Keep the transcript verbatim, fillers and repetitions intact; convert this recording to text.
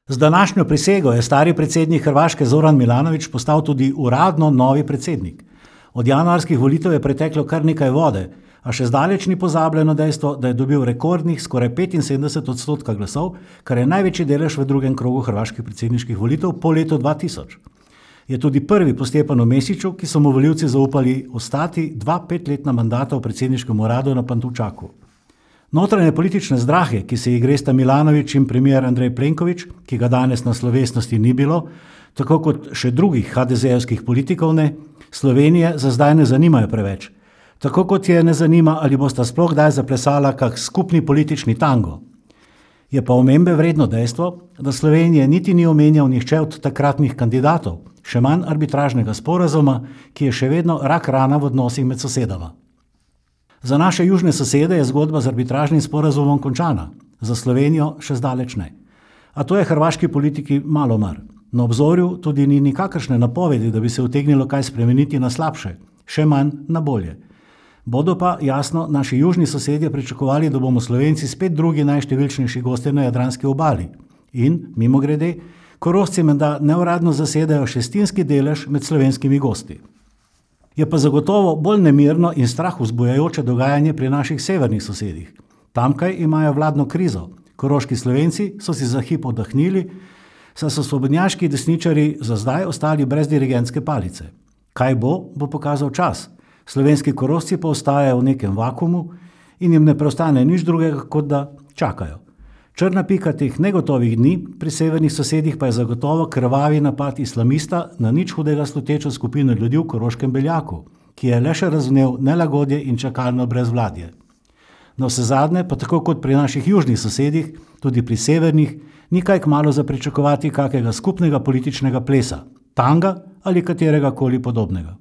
Z današnjo prisego je stari predsednik Hrvaške Zoran Milanović postal tudi uradno novi predsednik. Od januarskih volitev je preteklo kar nekaj vode, a še zdaleč ni pozabljeno dejstvo, da je dobil rekordnih skoraj petinsedemdeset odstotka glasov, kar je največji delež v drugem krogu hrvaških predsedniških volitev po letu dva tisoč. Je tudi prvi po Stjepanu Mesiću, ki so mu volivci zaupali ostati dva petletna mandata v predsedniškem uradu na Pantovčaku. Notranje politične zdrahe, ki se jih gresta Milanović in premijer Andrej Plenković, ki ga danes na slovesnosti ni bilo, tako kot še drugih ha de zejevskih politikov ne, Slovenije za zdaj ne zanimajo preveč. Tako kot je ne zanima, ali bosta sploh kdaj zaplesala kak skupni politični tango. Je pa omembe vredno dejstvo, da Slovenije niti ni omenjal nihče od takratnih kandidatov, še manj arbitražnega sporazuma, ki je še vedno rak rana v odnosih med sosedama. Za naše južne sosede je zgodba z arbitražnim sporazumom končana, za Slovenijo še zdaleč ne. A to je hrvaški politiki malo mar. Na obzorju tudi ni nikakršne napovedi, da bi se utegnilo kaj spremeniti na slabše, še manj na bolje. Bodo pa, jasno, naši južni sosedje pričakovali, da bomo Slovenci spet drugi najštevilčnejši gostje na jadranski obali. In, mimogrede, Korošci menda neuradno zasedajo šestinski delež med slovenskimi gosti. Je pa zagotovo bolj nemirno in strah vzbujajoče dogajanje pri naših severnih sosedih. Tamkaj imajo vladno krizo. Koroški Slovenci so si za hip oddahnili, saj so svobodnjaški desničarji za zdaj ostali brez dirigentske palice. Kaj bo, bo pokazal čas. Slovenski Korošci pa ostajajo v nekem vakuumu in jim ne preostane nič drugega, kot da čakajo. Črna pika teh negotovih dni pri severnih sosedih pa je zagotovo krvavi napad islamista na nič hudega slutečo skupino ljudi v Koroškem Beljaku, ki je le še razvnel nelagodje in čakalno brezvladje. Na vsezadnje pa tako kot pri naših južnih sosedih, tudi pri severnih, ni kaj kmalu za pričakovati kakega skupnega političnega plesa, tanga ali katerega koli podobnega.